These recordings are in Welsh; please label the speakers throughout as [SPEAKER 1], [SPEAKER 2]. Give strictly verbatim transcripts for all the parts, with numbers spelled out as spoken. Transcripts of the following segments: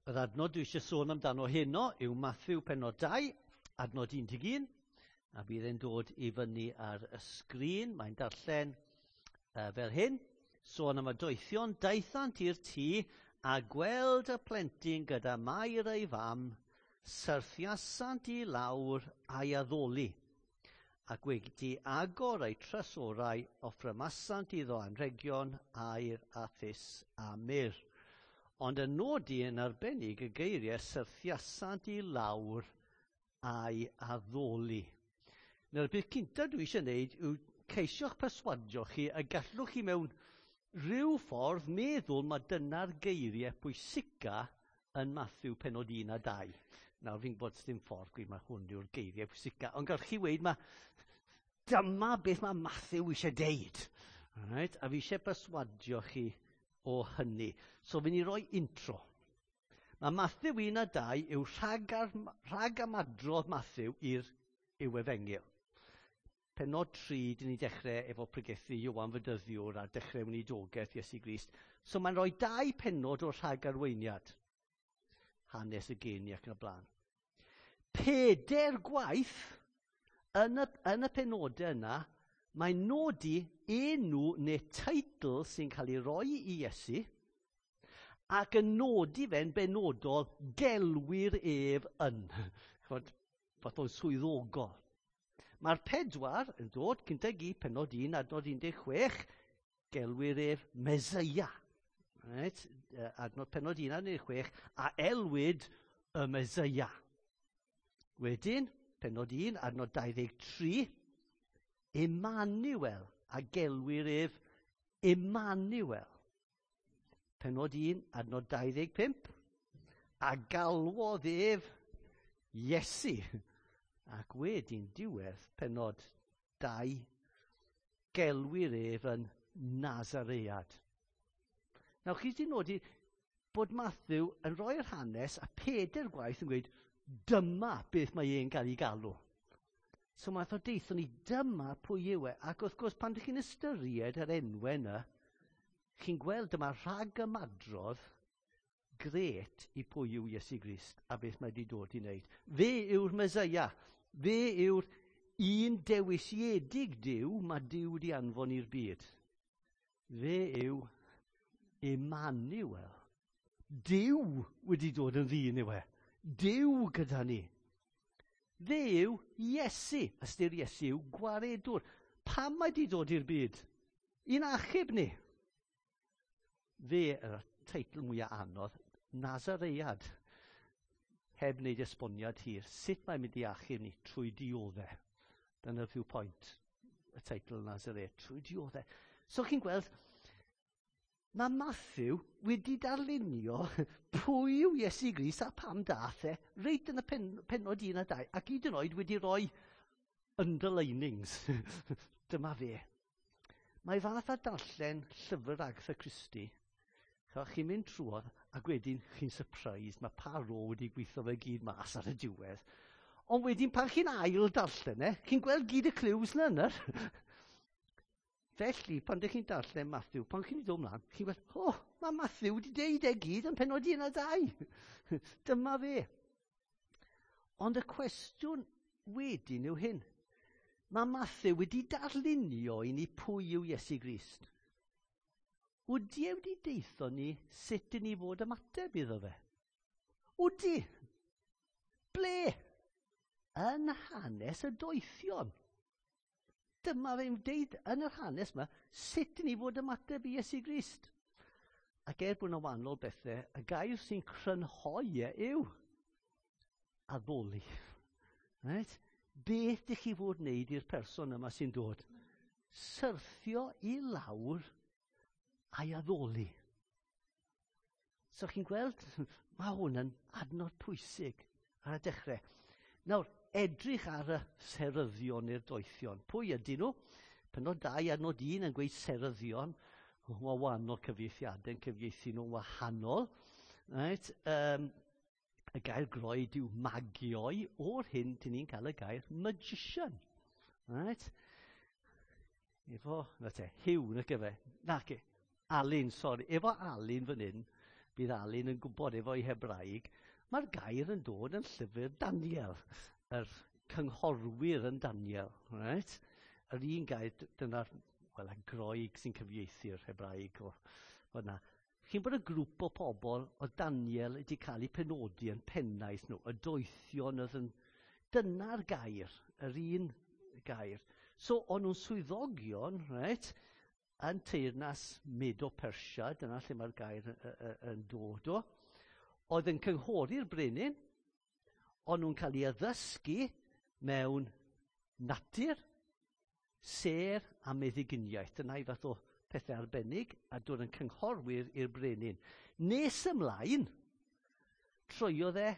[SPEAKER 1] Yr adnod dwi eisiau sôn amdano heno yw Mathew pennod dau, adnod un deg un, a bydd e'n dod i fyny ar y sgrin. Mae'n darllen uh, fel hyn. Sôn am y doethion, daethant i'r tŷ a gweld y plentyn gyda Mair ei fam, syrthiasant i lawr a'i addoli. Ac wedi agor eu trysorau, offrymasant iddo anrhegion, aur a thus a myrr. Ond yn nodi yn arbennig y geiriau syrthiasant i lawr a'i addoli. Nawr, y peth cyntaf dwi eisiau gwneud yw ceisio'ch perswadio chi y gallwch chi mewn rhyw ffordd meddwl mae dyna'r geiriau pwysica yn Mathew pennod un a dau. Nawr, fi'n gwybod dim ffordd gweud mae hwn yw'r geiriau pwysica, ond gallwch chi weud mae dyma beth mae Mathew eisiau deud. Right? A fi eisiau perswadio chi o hynny. So fi'n i roi intro. Mae Mathew un a dau yw rhag, ar, rhag amadrodd Mathew i'r i'w efengyl. Pennod tri, dyn ni dechrau efo pregethu Ioan Fedyddiwr a dechrau weinidogaeth Iesu Grist. So mae'n rhoi dau pennod o'r rhag arweiniad. Hanes y geni ac yn y blaen. Peder gwaith yn y, yn y penodau yna, mae'n nodi enw neu teitl sy'n cael ei roi i Iesu ac yn nodi fe'n benodol gelwir ef yn. Chod, fath o'n swyddogol. Mae'r pedwar yn dod, cynta i gyd, pennod un, adnod un deg chwech, gelwir ef Meseia. Right? Adnod pennod un, adnod un deg chwech, a elwid y Meseia. Wedyn, pennod un, adnod dau ddeg tri, Emmanuel, a gelwir ef Emmanuel. Pennod un, adnod dau ddeg pump, a galwodd ef Iesu. Ac wedyn diwedd pennod dau, gelwir ef yn Nazaread. Nawr, chi wedi nodi bod Mathew yn rhoi'r hanes a peder gwaith yn gweud, dyma beth mae e'n cael ei galw. So mae o deithio ni, dyma pwy yw e. Ac wrth gwrs, pan ydych chi'n ystyried yr enwau yna, chi'n gweld dyma rhag ymadrodd gret i pwy yw Iesu Grist a beth mae wedi dod i wneud. Fe yw'r Meseia. Fe yw'r un dewisiedig Duw mae Duw wedi anfon i'r byd. Fe yw Emmanuel. Duw wedi dod yn ddyn yw e. Duw gyda ni. Fe yw Iesu. Ystyr Iesu yw gwaredwr. Pam mae wedi dod i'r byd? I'n achub ni. Fe, yr teitl mwyaf anodd, Nazaread. Heb wneud esboniad hir. Sut mae'n mynd i achub ni? Trwy dioddef. Dyna'r rhyw pwynt, y teitl Nazaread. Trwy dioddef. So chi'n gweld, mae Mathew wedi darlunio pwy yw Iesu Grist a pam dath e reit yn y pen, pennod un a dau, ac hyd yn oed wedi rhoi underlinings. Dyma fe. Mae fath a darllen llyfr Agatha Christie. Chi'n mynd trwodd ac wedyn chi'n surprised, mae Poirot wedi gweithio fe gyd mas ar y diwedd. Ond wedyn pan chi'n ail darllen e, chi'n gweld gyd y clues na yna. Felly, pan ydych chi'n darllen Mathew, pan chi'n dod ymlaen, chi'n gweld, o, oh, mae Mathew wedi deud e gyd yn pennod un a dau. Dyma fe. Ond y cwestiwn wedyn yw hyn. Mae Mathew wedi darlunio i ni pwy yw Iesu Grist. Ydy e wedi deitho ni sut i ni fod ymateb iddo fe? Ydy. Ble? Yn hanes y doethion. Dyma fe'n deud yn yr hanes yma, sut i ni fod ymateb i Iesu Grist. Ac er bod yna wahanol bethau, y gair sy'n crynhoi e yw addoli. Right? Beth ydych chi fod wneud i'r person yma sy'n dod? Syrthio i lawr a'i addoli. So chi'n gweld, mae hwn yn adnod pwysig ar y dechrau. Nawr, edrych ar y seryddion neu'r doethion. Pwy ydyn nhw? Pennod dau adnod un yn gweud seryddion. Mae wahanol cyfieithiadau yn cyfieithu nhw'n wahanol. Right? Um, y gair Groeg yw magioi. O'r hyn, dyn ni'n cael y gair magician. Right? Efo, na te, Hugh, na gyfe. Na, ge, Alun, sori. Efo Alun fan hyn, Bydd Alun yn gwybod efo'i Hebraeg, mae'r gair yn dod yn llyfr Daniel, yr cynghorwyr yn Daniel. Right? Yr un gair, dyna'r, wel, y Groeg sy'n cyfieithu'r Hebraeg o fyna. Chi'n bod y grŵp o pobl o Daniel wedi cael eu penodi yn pennaeth nhw, y doethion oedd yn... Dyna'r gair, yr un gair. So, o'n nhw'n swyddogion, right, yn teyrnas Medo-Persia, dyna lle mae'r gair yn dod o, oedd yn cynghori'r brenin, o'n nhw'n cael ei addysgu mewn natur, sêr a meddyginiaeth. Dyna i fath o pethau arbennig a dod yn cynghorwyr i'r brenin. Nes ymlaen, troiodd e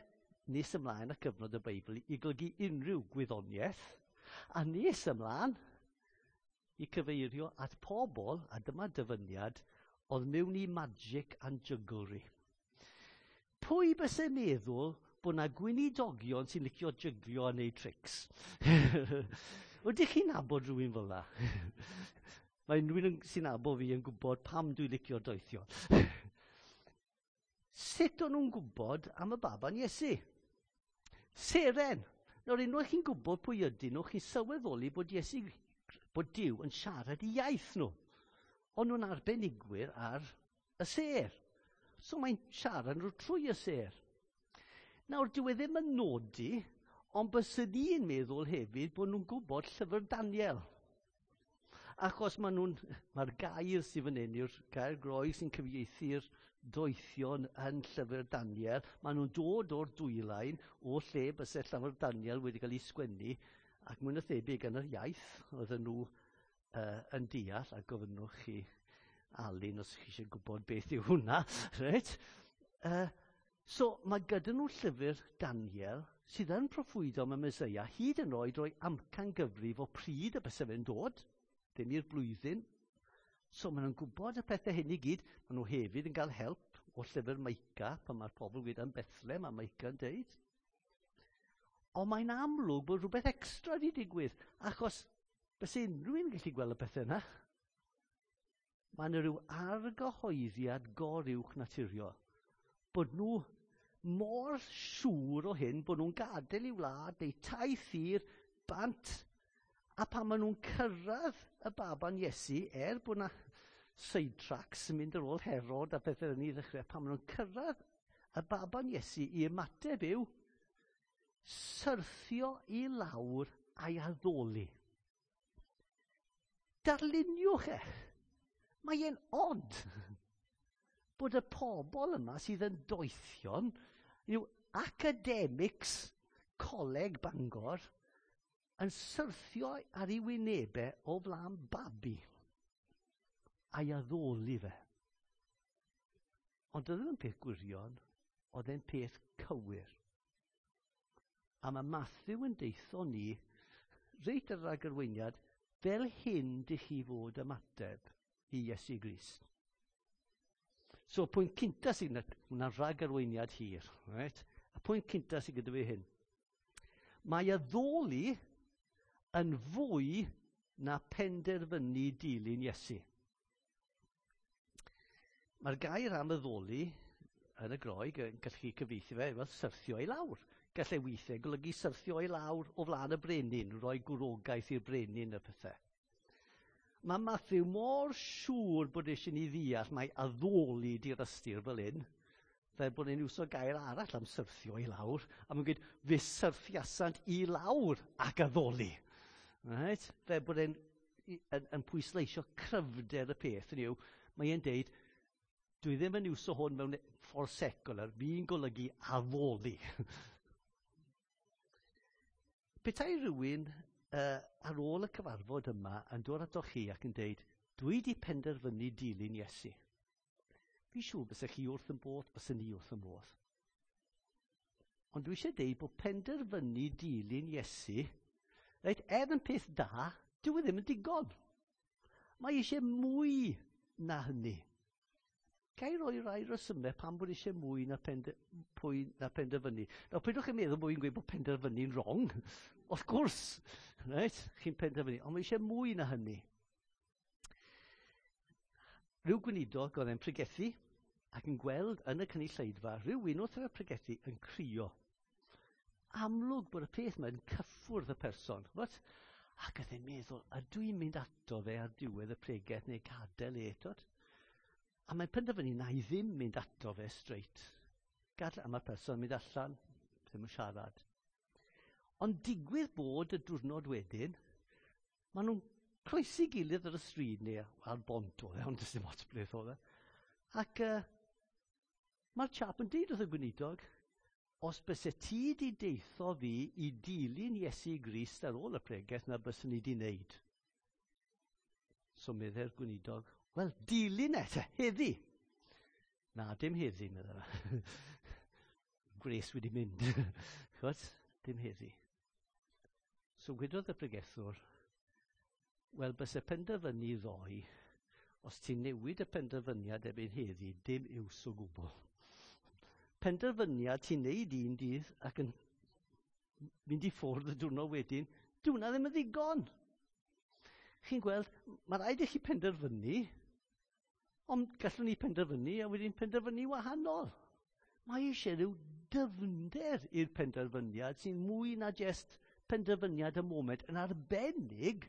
[SPEAKER 1] nes ymlaen y cyfnod y Beibl i golygu unrhyw gwyddoniaeth, a nes ymlaen i cyfeirio at pobl, a dyma dyfyniad, oedd mewn i magic and jugglery. Pwy byse'n meddwl bod na gweinidogion sy'n licio jyglio a neud tricks? Ydych chi'n nabod rhywun fel 'na? Mae unrhyw un sy'n nabod fi yn gwybod pam dwi'n licio doethion. Sut o'n nhw'n gwybod am y baban Iesu? Seren. Nawr, unwaith chi'n gwybod pwy ydyn nhw, chi'n sylweddoli bod Iesu, bod Duw yn siarad i iaith nhw. O'n nhw'n arbenigwyr ar y sêr. So mae'n siarad nhw trwy y sêr. Nawr, dyw e ddim yn nodi, ond byswn i'n meddwl hefyd bod nhw'n gwybod llyfr Daniel. Achos ma nhw'n, mae'r gair sydd fan hyn yw'r gair Groeg sy'n cyfieithu'r doethion yn llyfr Daniel. Maen nhw'n dod o'r dwylain o lle byse llyfr Daniel wedi cael ei sgwennu, ac mwy na thebyg yn yr iaith oedden nhw uh, yn deall, a gofynnwch chi Alun os chi eisiau gwybod beth yw hwnna. Reit? Uh, so mae gyda nhw llyfr Daniel sydd yn proffwydo am y Meseia, hyd yn oed roi amcan gyfrif o pryd y byse fe'n dod, ddim i'r blwyddyn. So maen nhw'n gwybod y pethau hyn i gyd. Maen nhw hefyd yn cael help o llyfr Micah, pan mae'r pobl wedi yn Bethlehem, a Micah yn deud. Ond mae'n amlwg bod rhywbeth extra wedi digwydd, achos byse unrhyw un yn gallu gweld y pethau yna. Mae yna rhyw argyhoeddiad goruwch naturiol. Bod nhw mor siŵr o hyn, bod nhw'n gadael i wlad neu taith hir bant, a pan maen nhw'n cyrraedd y baban Iesu, er bod yna sidetracks yn mynd ar ôl Herod a pethau yn ei ddechrau, pan maen nhw'n cyrraedd y baban Iesu i ymateb yw syrthio i lawr a'i addoli. Darluniwch e. Mae e'n od bod y pobl yma sydd yn doethion, yw academics Coleg Bangor, yn syrthio ar ei wynebau o flaen babi a'i addoli fe. Ond oedd ddim yn peth gwirion, oedd e'n peth cywir. A mae Matthew yn deitho ni, reit ar ragarweiniad, fel hyn dych chi fod ymateb i Iesu Grist. So, y pwynt cynta sydd yna, hwnna'n rhagarweiniad hir, right? Y pwynt cynta sydd gyda fi hyn. Mae addoli yn fwy na penderfynu dilyn Iesu. Mae'r gair am addoli yn y Groeg yn gallu cyfieithu fe fel syrthio i lawr. Gallai weithiau golygu syrthio i lawr o flaen y brenin, rhoi gwrogaeth i'r brenin y pethau. Mae Matthew mor siŵr bod eisiau ni ddeall mae addoli di'r ystyr fel hyn, fel bod e'n iwso gair arall am syrthio i lawr, a mae'n gweud, fe syrthiasant i lawr ac addoli. Right? Fel bod e'n yn, yn pwysleisio cryfder y peth, hynny yw, mae e'n deud, dwi ddim yn iwso hwn mewn ffordd secular, fi'n golygu addoli. Petai rhywun uh, ar ôl y cyfarfod yma yn dod atoch chi ac yn deud, dwi di penderfynu dilyn Iesu. Fi'n siŵr bysech chi wrth yn bodd, byswn ni wrth yn bodd. Ond dwi eisiau deud bod penderfynu dilyn Iesu, reit, er yn peth da, dyw e ddim yn digon. Mae eisiau mwy na hynny. Ga i roi rai resymau pam bod eisiau mwy na, pende, pwy na penderfynu. Nawr, peidiwch chi'n meddwl bod fi'n gweud bod penderfynu'n wrong. Wrth gwrs, reit, chi'n penderfynu, ond mae eisiau mwy na hynny. Rhyw gweinidog oedd e'n pregethu, ac yn gweld yn y cynulleidfa rhywun wrth y pregethu yn crio. Amlwg bod y peth yma'n cyffwrdd y person. Ch'mod? Ac oedd e'n meddwl, ydw i'n mynd ato fe ar diwedd y pregeth neu gadael e, twod? A mae'n penderfynu na i ddim mynd ato fe straight. Gadael, a mae'r person yn mynd allan, ddim yn siarad. Ond digwydd bod y diwrnod wedyn, maen nhw'n croesi gilydd ar y stryd neu ar bont oedd e, ond does dim ots beth oedd e. Ac uh, mae'r chap yn deud wrth y gweinidog, os byse ti di deutho fi i dilyn Iesu Grist ar ôl y pregeth, na byswn i di wneud. So meddai'r gweinidog, wel, dilyn e te, heddi. Na, dim heddi, meddai fe. Gwres wedi mynd. Ch'mod? Dim heddi. So gwedodd y pregethwr, wel, byse penderfynu ddoe, os ti'n newid y penderfyniad erbyn heddi, dim iws o gwbl. Penderfyniad ti'n neud un dydd ac yn mynd i ffwrdd y diwrnod wedyn, dyw hwnna ddim yn ddigon. Chi'n gweld, mae rhaid i chi penderfynu, ond gallwn ni penderfynu a wedyn penderfynu wahanol. Mae eisiau rhyw dyfnder i'r penderfyniad sy'n mwy na jest penderfyniad y moment, yn arbennig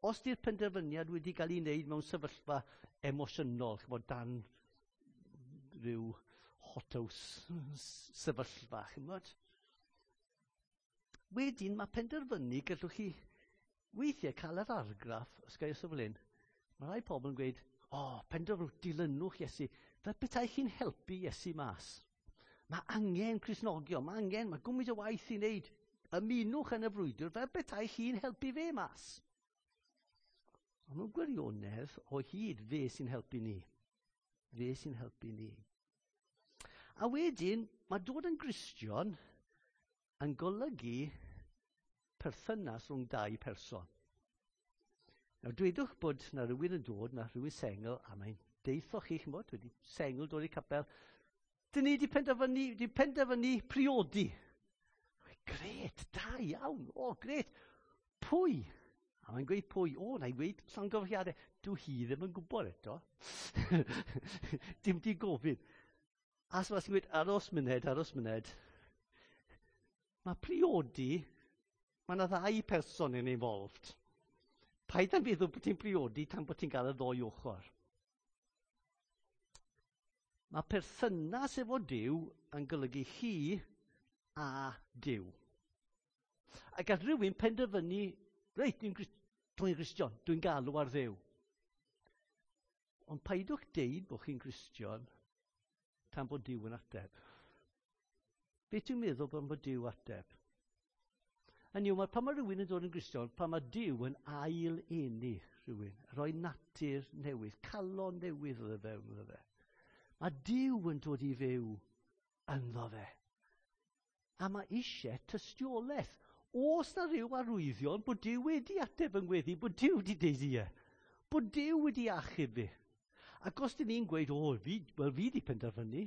[SPEAKER 1] os di'r penderfyniad wedi cael ei wneud mewn sefyllfa emosiynol, ch'mod, dan rhyw hothouse sefyllfa, ch'mod. Wedyn mae penderfynu, gallwch chi weithiau cael yr argraff, os gael fel hyn, mae rai pobl yn gweud, o, oh, penderfynwch, dilynwch Iesu, fel petai chi'n helpu Iesu mas. Mae angen Cristnogion, mae angen, mae gwmws o waith i wneud. Ymunwch yn y frwydr fel petai chi'n helpu fe mas. Ond mewn gwirionedd, o hyd, fe sy'n helpu ni. Fe sy'n helpu ni. A wedyn, mae dod yn Gristion yn golygu perthynas rhwng dau person. Nawr, dwedwch bod na rhywun yn dod, na rhywun sengl, a mae'n deutho chi, ch'mod, wedi sengl dod i capel, dyn ni wedi penderfynu, wedi penderfynu priodi. Gret, da iawn, o, gret. Pwy? A mae'n gweud pwy? O, na i gweud llongyfarchiadau. Dw hi ddim yn gwybod eto. Dim di gofyn. A so sy'n gweud, aros myned, aros myned. Mae priodi, mae yna ddau person yn involved. Paid â meddwl bod ti'n priodi tan bod ti'n cael y ddoi ochr. Mae perthynas efo Duw yn golygu chi a Duw. A gall rhywun penderfynu, reit, dwi'n dwi Gristion, dwi'n galw ar Dduw. Ond paidwch deud bod chi'n Gristion tan bod Duw yn ateb. Beth dwi'n meddwl bod bod Duw ateb? Hynny yw, mae pan mae rhywun yn dod yn Gristion, pan mae Duw yn ail eni rhywun, rhoi natur newydd, calon newydd iddo fewn iddo fe. Mae Duw yn dod i fyw ynddo fe. A mae eisiau tystiolaeth. Oes na ryw arwyddion bod Duw wedi ateb yn gweddi, bod Duw wedi deud ie, bod Duw wedi achub fi. Ac os dyn ni'n gweud, o, fi, wel fi wedi penderfynu,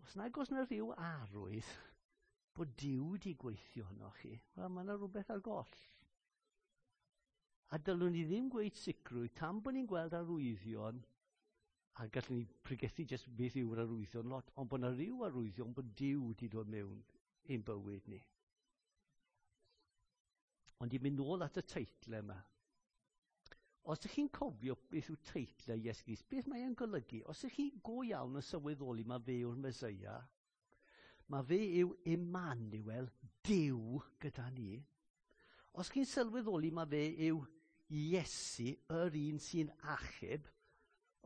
[SPEAKER 1] os nag oes na rhyw arwydd bod Duw wedi gweithio yno chi, wel, mae yna rhywbeth ar goll. A dylwn ni ddim gweud sicrwydd tan bod ni'n gweld arwyddion, a gallwn ni pregethu jyst beth yw'r arwyddion lot, ond bod yna rhyw arwyddion bod Duw wedi dod mewn i'n bywyd ni. Ond i mynd nôl at y teitle yma. Os ydych chi'n cofio beth yw teitle Iesu Grist, beth mae e'n golygu? Os ydych chi go iawn yn sylweddoli mae fe yw'r Meseia, mae fe yw Emmanuel, Duw gyda ni. Os chi'n sylweddoli mae fe yw Iesu, yr un sy'n achub,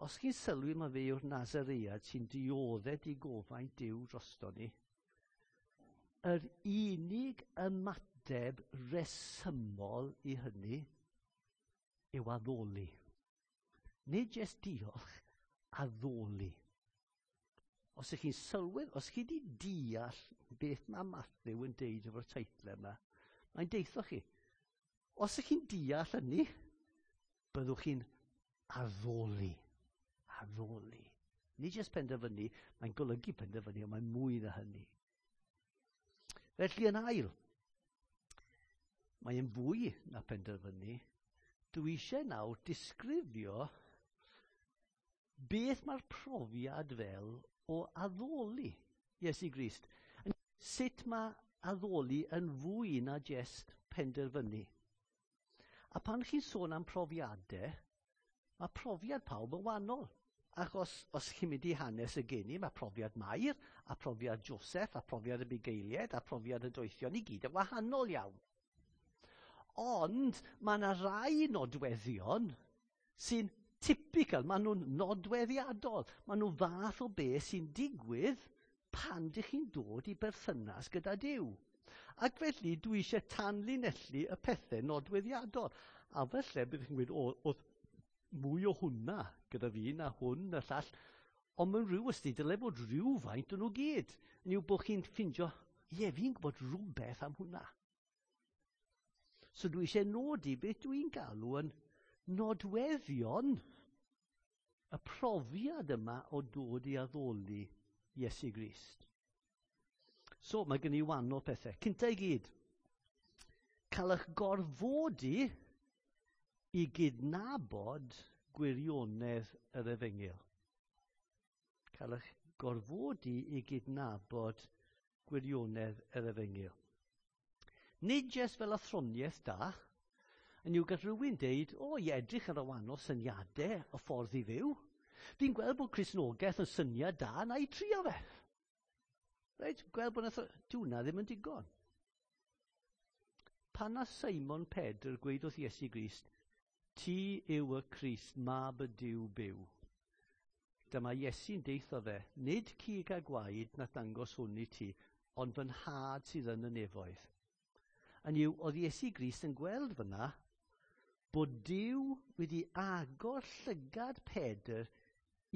[SPEAKER 1] os chi'n sylwi mae fe yw'r Nazaread sy'n dioddef digofaint Duw drosto ni, yr unig ymateb resymol i hynny yw addoli. Nid jyst diolch, addoli. Os ych chi'n sylwedd, os chi wedi deall beth mae Matthew yn deud efo'r teitle yma, mae'n deutho chi. Os ych chi'n deall hynny, byddwch chi'n addoli. Addoli. Nid jyst penderfynu, mae'n golygu penderfynu, ond mae'n mwy na hynny. Felly yn ail, mae'n fwy na penderfynu. Dwi eisiau nawr disgrifio Beth mae'r profiad fel o addoli Iesu Grist? Sut mae addoli yn fwy na jest penderfynu? A pan chi'n sôn am profiadau, mae profiad pawb yn wahanol. Achos os chi'n mynd i hanes y geni, mae profiad Mair, a profiad Joseph, a profiad y bugeiliaid, a profiad y doethion i gyd yn wahanol iawn. Ond mae yna rai nodweddion sy'n typical, maen nhw'n nodweddiadol. Maen nhw fath o beth sy'n digwydd pan dych chi'n dod i berthynas gyda Duw. Ac felly dwi eisiau tanlinellu y pethau nodweddiadol. A felly byddwch chi'n gweud, o, oedd mwy o hwnna gyda fi na hwn na llall. Ond mewn rhyw ystyr, dyle bod rhywfaint o'n nhw gyd. Yn yw bod chi'n ffindio, ie, fi'n gwybod rhywbeth am hwnna. So dwi eisiau nodi beth dwi'n galw yn nodweddion y profiad yma o dod i addoli Iesu Grist. So mae gen i wahanol pethau. Cynta i gyd, cael eich gorfodi i gydnabod gwirionedd yr efengyl. Cael eich gorfodi i gydnabod gwirionedd yr efengyl. Nid jyst fel athroniaeth da, yn yw gall rhywun deud, o, i edrych ar y wahanol syniadau o ffordd i fyw. Fi'n gweld bod Cristnogaeth yn syniad da, na i trio fe. Reit, gweld bod nath, dyw hwnna ddim yn digon. Pan na Simon Pedr gweud wrth Iesu Grist, ti yw y Crist, mab y Duw byw. Dyma Iesu'n deutho fe, nid cig a gwaed na dangos hwn i ti, ond fy nhad sydd yn y nefoedd. Yn yw, oedd Iesu Grist yn gweld fyna bod Duw wedi agor llygad Pedr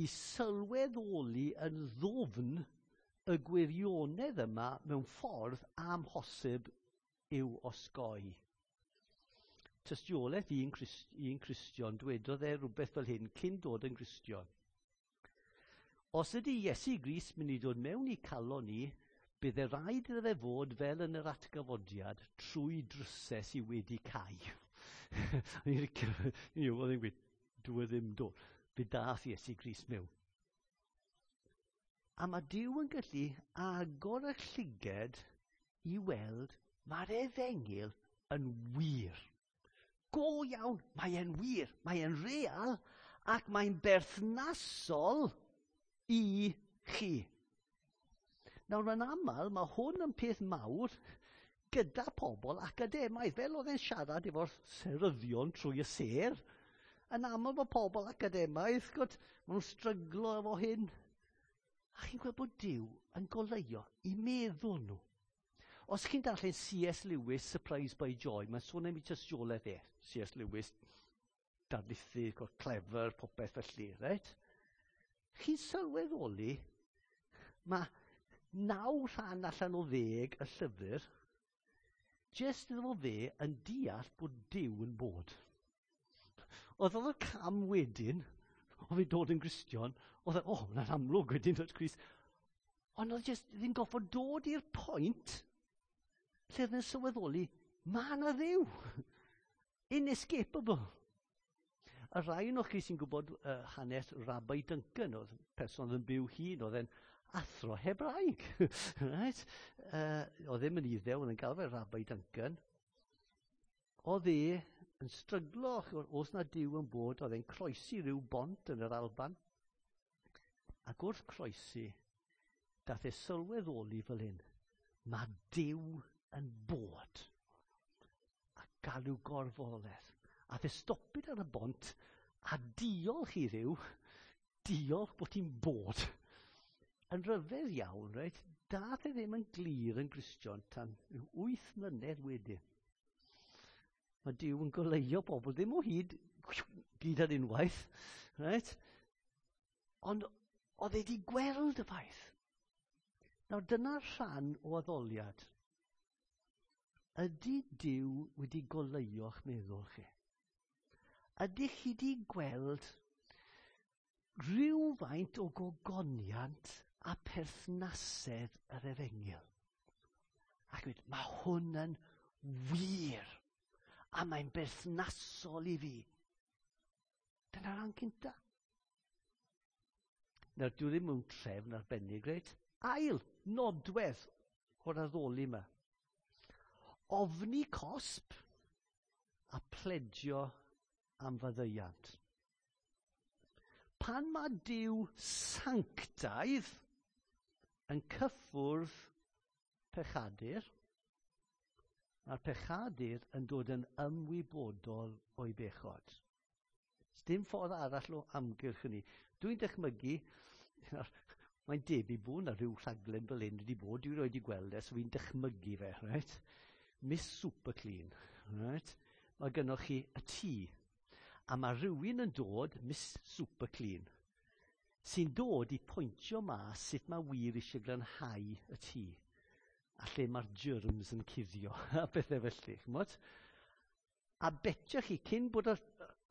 [SPEAKER 1] i sylweddoli yn ddwfn y gwirionedd yma mewn ffordd amhosib i'w osgoi. Tystiolaeth un, Christ, un Cristion dwedodd e rhywbeth fel hyn cyn dod yn Gristion. Os ydy Iesu Grist mynd i dod mewn i calon ni, bydd e rhaid iddo fe fod fel yn yr atgyfodiad trwy drysau sydd wedi cau. Oedd e'n gweud, dwi e ddim dod. Fe dath Iesu Grist mewn. A mae Duw yn gallu agor y llyged i weld mae'r efengyl yn wir. Go iawn, mae e'n wir, mae e'n real ac mae'n berthnasol i chi. Nawr, yn aml, mae hwn yn peth mawr gyda pobl academaidd, fel oedd e'n siarad efo'r seryddion trwy y sêr. Yn aml mae pobl academaidd, gwyd, maen nhw'n stryglo efo hyn. A chi'n gweld bod Duw yn goleuo i meddwl nhw. Os chi'n darllen C S Lewis, Surprised by Joy, mae'n sôn am ei tystiolaeth e. C S Lewis, darlithydd, clever, popeth felly, reit? Chi'n sylweddoli, mae naw rhan allan o ddeg y llyfr, jyst iddo fo fe yn deall bod Duw yn bod. Oedd oedd y cam wedyn, o fe dod yn Gristion, oedd e, o, oh, mae'n amlwg wedyn dod Crist. Ond oedd jyst ddim goffod dod i'r pwynt lle oedd yn sylweddoli, mae yna Dduw. Inescapable. Y rhai o'n chi sy'n gwybod uh, hanes Rabbi Duncan, oedd person oedd yn byw hun, oedd e'n athro Hebraeg. Right? Uh, oedd ddim yn Iddew, oedd yn gael fe Rabbi Duncan. Oedd e yn stryglo, os na Duw yn bod, oedd e'n croesi rhyw bont yn yr Alban. Ac wrth croesi, dath e sylweddoli fel hyn, mae Duw yn bod. A galw gorfoledd. A fe stopid ar y bont a diolch i Dduw, diolch bod ti'n bod. Yn rhyfedd iawn, reit, dath e ddim yn glir yn Gristion tan wyth mlynedd wedyn. Mae Duw yn goleuo bobl, ddim o hyd gyd ar unwaith, reit? Ond oedd e wedi gweld y ffaith. Nawr dyna rhan o addoliad. Ydy Duw wedi goleuo'ch meddwl chi? Ydych chi wedi gweld rhywfaint o gogoniant a perthnasedd yr efengyl? Ac dweud, mae hwn yn wir a mae'n berthnasol i fi. Dyna'r rhan cynta. Nawr, dwi ddim mewn trefn arbennig, reit? Ail nodwedd o'r addoli yma. Ofni cosb a pledio am faddeuant. Pan mae Duw sanctaidd yn cyffwrdd pechadur, mae'r pechadur yn dod yn ymwybodol o'i bechod. Dim ffordd arall o amgylch hynny. Dwi'n dychmygu, mae'n debyg bod na rhyw rhaglen fel hyn wedi bod, dwi 'rioed 'di gweld e, so fi'n dychmygu fe, right? Miss Super Clean, right? Mae gynnoch chi y tŷ, a mae rhywun yn dod, Miss Super Clean, sy'n dod i pwyntio mas sut mae wir eisiau glanhau y tŷ, a lle mae'r germs yn cuddio, a pethau felly, ch'mod? A betio chi, cyn bod y,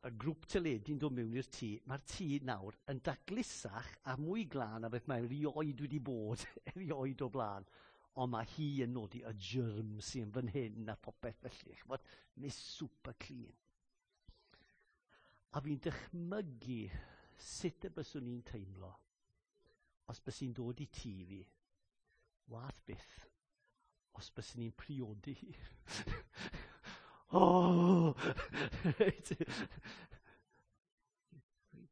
[SPEAKER 1] y grŵp teledu'n dod mewn i'r tŷ, mae'r tŷ nawr yn daclusach a mwy glân a beth mae erioed wedi bod, erioed o blaen. Ond mae hi yn nodi y germs sy'n fan hyn a popeth felly, ch'mod? Miss Super Clean. A fi'n dychmygu sut y byswn i'n teimlo os bys i'n dod i tŷ fi, wath byth, os byswn i'n priodi hi. Oh!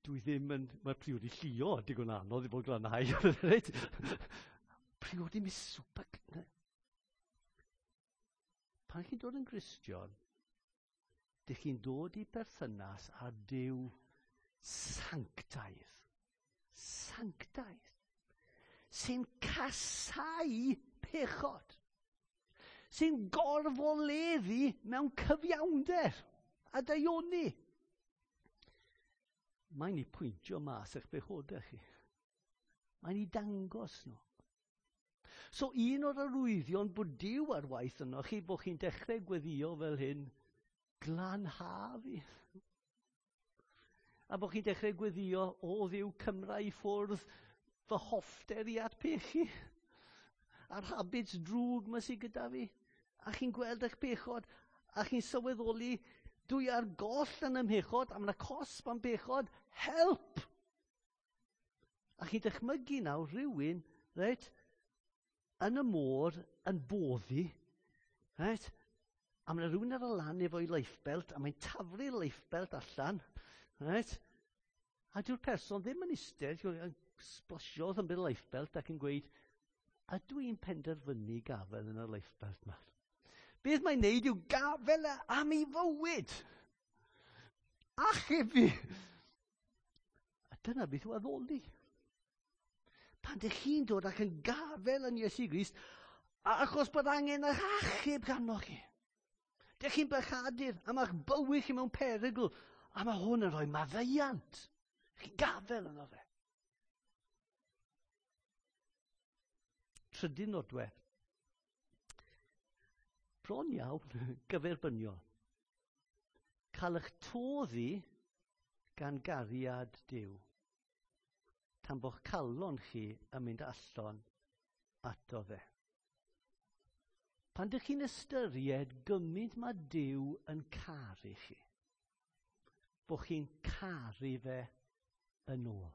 [SPEAKER 1] Dwi ddim yn... Mae priodi Llio digon anodd i fod glanhau. Reit? Priodi Miss Super... Pan chi'n dod yn Gristion, dych chi'n dod i berthynas â Duw sanctaidd. Sanctaidd. Sy'n casáu pechod. Sy'n gorfoleddu mewn cyfiawnder a daioni. Mae'n ei pwyntio mas eich bechodau chi. Mae'n ei dangos nhw. So un o'r arwyddion bod Duw ar waith yno chi, bod chi'n dechrau gweddio fel hyn, glanha fi. A bod chi'n dechrau gweddio, o Dduw, cymra i ffwrdd fy hoffter i at pechu. A'r habits drwg ma sydd gyda fi. A chi'n gweld eich bechod, a chi'n sylweddoli, dwi ar goll yn ymhechod, a mae'na cosb am bechod, help! A chi'n dychmygu nawr rhywun, reit, yn y môr, yn boddi, reit, a mae'na rhywun ar y lan efo'i lifebelt, a mae'n taflu'r lifebelt allan, reit, a dyw'r person ddim yn eistedd, yn splasio yn bydd lifebelt ac yn gweud, a dwi'n penderfynu gafel yn y lifebelt yma. Beth mae'n neud yw gafel am ei fywyd. Achub fi. A dyna beth yw addoli. Pan dych chi'n dod ac yn gafel yn Iesu Grist, achos bod angen eich achub ganoch chi. Dych chi'n bechadur, a mae'ch bywyd chi mewn perygl, a mae hwn yn rhoi maddeuant. Chi'n gafel yno fe. Trydydd nodwedd. Bron iawn gyferbyniol. Cael eich toddi gan gariad Duw. Tan bo'ch calon chi yn mynd allan ato fe. Pan dych chi'n ystyried gymaint mae Duw yn caru chi, bo' chi'n caru fe yn ôl.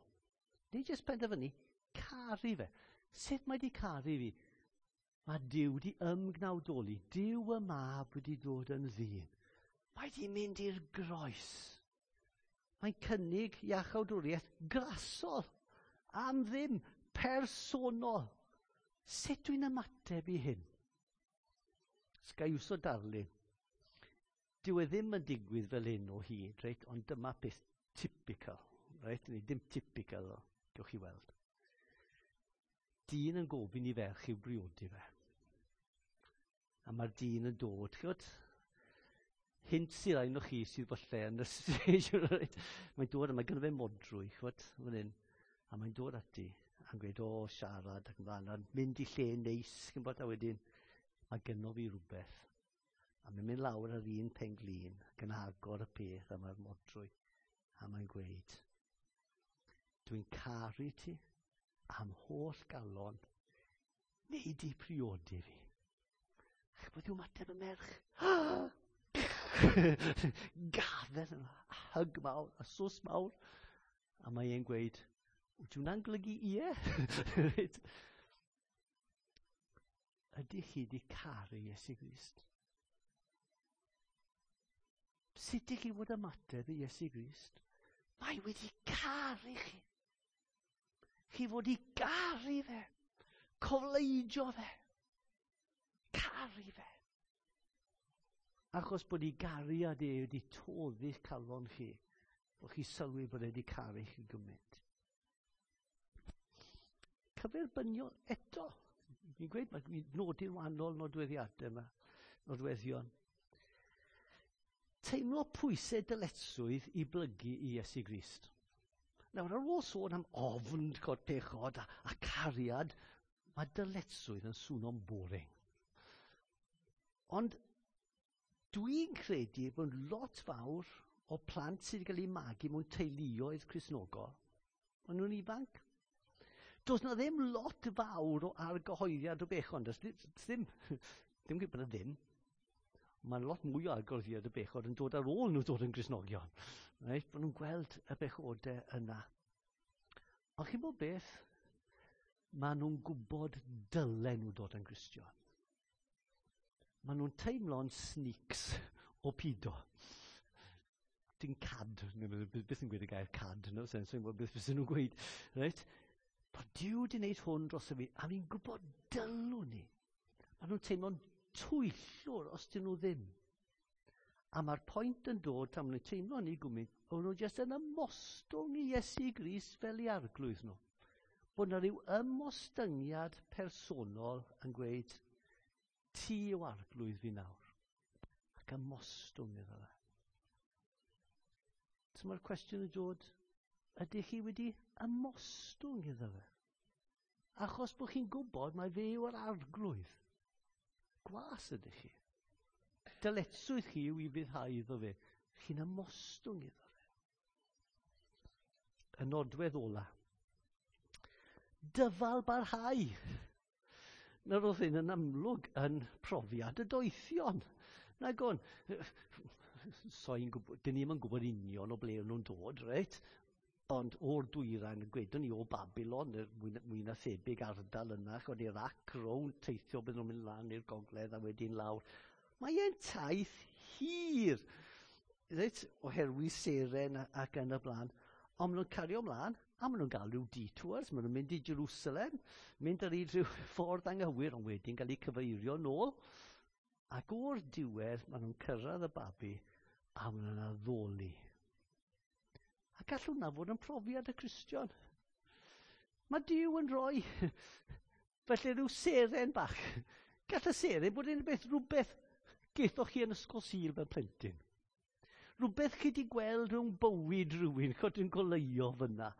[SPEAKER 1] Nid jyst penderfynu, caru fe. Sut mae di caru fi? Mae Duw di ymgnawdoli. Duw y Mab wedi dod yn ddyn. Mae di mynd i'r groes. Mae'n cynnig iachawdwriaeth grasol, am ddim, personol. Sut dwi'n ymateb i hyn? Sgai iwso darlun. Dyw e ddim yn digwydd fel hyn o hyd, reit? Ond dyma peth typical, reit? Neu dim typical o, gewch chi weld. Dyn yn gofyn i ferch i'w briodi fe. A mae'r dyn yn dod, ch'wod? Hint sydd un o chi sydd falle yn y stage, right? Mae'n dod a mae gynno fe modrwy, ch'wod, fan hyn. A mae'n dod ati a'n gweud, o, siarad ac yn fan, a'n mynd i lle neis, ch'mbod, a wedyn, mae gynno fi rhywbeth. A mae'n mynd lawr ar un pen-glin ac yn agor y peth a mae'r modrwy. A mae'n gweud, dwi'n caru ti am holl galon, neu di priodi fi. Ach, beth yw mateb y merch? Gafel yma, a hug mawr, a sws mawr. A mae e'n gweud, Wyt hwnna'n golygu ie? Ydych chi wedi caru Iesu Grist? Sut ydych chi fod ymateb i Iesu Grist? Mae wedi caru chi. Chi fod i garu fe. Cofleidio fe. Caru fe. Achos bod ei gariad e wedi toddi'ch calon chi, bod chi sylwi bod e wedi caru chi gymaint. Cyferbyniol eto. Fi'n gweud, mae'n nodi'n wahanol nodweddiadau yma, nodweddion. Teimlo pwysau dyletswydd i blygu i Iesu Grist. Nawr, ar ôl sôn am ofn cod pechod a, a cariad, mae dyletswydd yn swnio'n boring. Ond dwi'n credu bod lot fawr o plant sydd wedi cael eu magu mewn teuluoedd Cristnogol, maen nhw'n ifanc. Does na ddim lot fawr o argyhoeddiad o bechod. Does ddim, ddim gwybod bod e ddim. Mae'n lot mwy o argyhoeddiad o bechod yn dod ar ôl nhw dod yn Gristnogion. Right? Bod nhw'n gweld y bechodau yna. Ond chi'n bod beth? Maen nhw'n gwybod dylen nhw dod yn Gristion. Maen nhw'n teimlo'n sneaks o pido. Dim cad, beth yn gweud y gair cad, no sense, yn gwybod beth beth nhw'n gweud. Right? Bod Duw wedi gwneud hwn dros y fi, a fi'n gwybod dylwn ni. Maen nhw'n teimlo'n twyllwr os dyn nhw ddim. A mae'r pwynt yn dod tan maen nhw'n teimlo ni gwmynt, o'n nhw jyst yn ymostwng i Iesu Grist fel i arglwydd nhw. Bod yna rhyw ymostyngiad personol yn gweud, ti yw arglwydd fi nawr. Ac ymostwng iddo fe. So mae'r cwestiwn yn dod, ydych chi wedi ymostwng iddo fe? Achos bod chi'n gwybod mai fe yw'r arglwydd. Gwas ydych chi. Dyletswydd chi yw i fuddhau iddo fe. Chi'n ymostwng iddo fe. Y nodwedd ola. Dyfal barhau. Nawr oedd hyn yn amlwg yn profiad y doethion. Nag o'n, soi'n gwybod, dyn ni'm yn gwybod union o ble o'n nhw'n dod, reit? Ond o'r dwyrain, gwedwn ni o Babylon, mwy, mwy na thebyg ardal yna, chod Iraq, rownd teithio bydden nhw'n mynd lan i'r gogledd a wedyn lawr. Mae e'n taith hir, reit, oherwydd seren ac yn y blaen. Ond maen nhw'n cario ymlaen, a maen nhw'n gael rhyw detours, maen nhw'n mynd i Jerusalem, mynd ar hyd rhyw ffordd anghywir, ond wedyn gael eu cyfeirio nôl. Ac o'r diwedd, maen nhw'n cyrraedd y babi, a maen nhw'n addoli. A gall hwnna fod yn profiad y Cristion. Mae Duw yn rhoi, felly rhyw seren bach. Gall y seren bod yn beth rhywbeth gethoch chi yn ysgol Sul fel plentyn. Rhywbeth chi wedi gweld rhwng bywyd rhywun, chod yn goleuo fyna.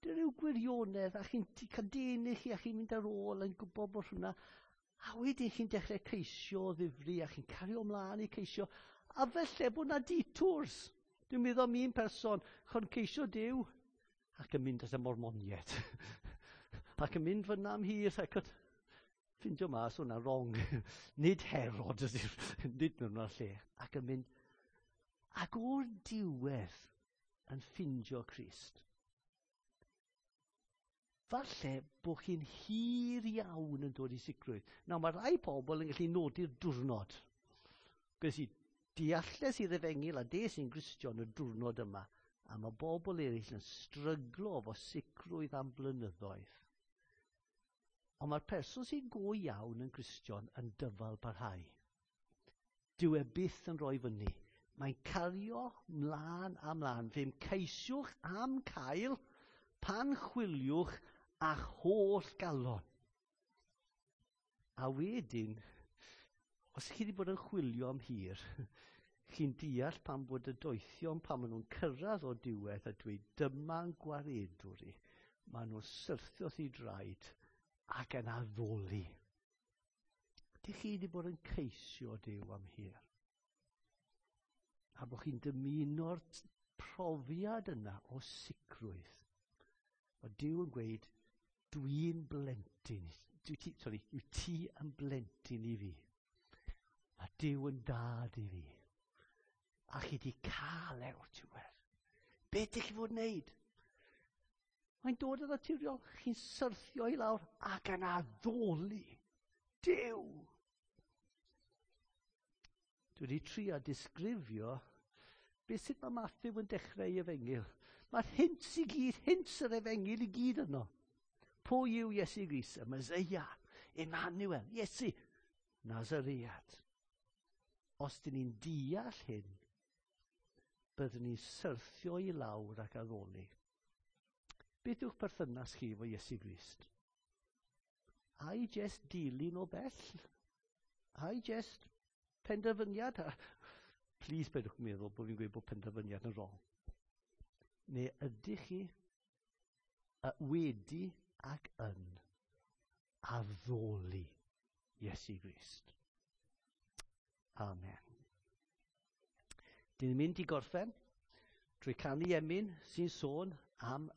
[SPEAKER 1] Dy ryw gwirionedd, a chi'n cadenu chi, a chi'n mynd ar ôl yn gwybod bod hwnna. A wedyn chi'n dechrau ceisio o ddifri, a chi'n cario ymlaen i ceisio. A felly bod na detours. Dwi'n meddwl am un person, chon ceisio Duw, ac yn mynd at y Mormoniaid. Ac yn mynd fyna am hir, ac yn ffindio mas hwnna wrong. Nid Herod, nid mewn lle. Ac yn mynd, ac o'r diwedd yn ffindio Crist. Falle bod chi'n hir iawn yn dod i sicrwydd. Nawr, mae rai pobl yn gallu nodi'r diwrnod. Gwnes i dealles i'r efengyl a des i'n Gristion y diwrnod yma. A mae bobl eraill yn stryglo efo sicrwydd am blynyddoedd. Ond mae'r person sy'n go iawn yn Gristion yn dyfal parhau. Dyw e byth yn rhoi fyny. Mae'n cario mlaen a mlaen. Fe'm ceisiwch am cael pan chwiliwch a'ch holl galon. A wedyn, os chi wedi bod yn chwilio am hir, chi'n deall pam bod y doethion, pan maen nhw'n cyrraedd o diwedd a dweud dyma'n gwaredwr i, maen nhw'n syrthio wrth ei draed ac yn addoli. Dych chi wedi bod yn ceisio Duw am hir? A bod chi'n dymuno'r profiad yna o sicrwydd. Mae Duw yn gweud, dwi'n blentyn, dwi ti, sorry, yw ti yn blentyn i fi. Mae Duw yn dad i fi. A chi di cael e o'r diwedd. Be ydych chi fod wneud? Mae'n dod yn naturiol. Chi'n syrthio i lawr ac yn addoli Duw. Dwi wedi trio disgrifio beth sut mae Matthew yn dechrau ei efengyl. Mae'r hints i gyd, hints yr efengyl i gyd yno. Pwy yw Iesu Grist? Y Meseia, Emmanuel, Iesu, Nazaread. Os dyn ni'n deall hyn, byddwn ni'n syrthio i lawr ac addoli. Beth yw'ch perthynas chi efo Iesu Grist? Ai jest dilyn o bell? Ai jest penderfyniad? Please peidiwch meddwl bod fi'n gweud bod penderfyniad yn wrong. Neu ydych chi wedi ac yn addoli Iesu Grist? Amen. Dyn ni'n mynd i gorffen trwy canu emyn sy'n sôn am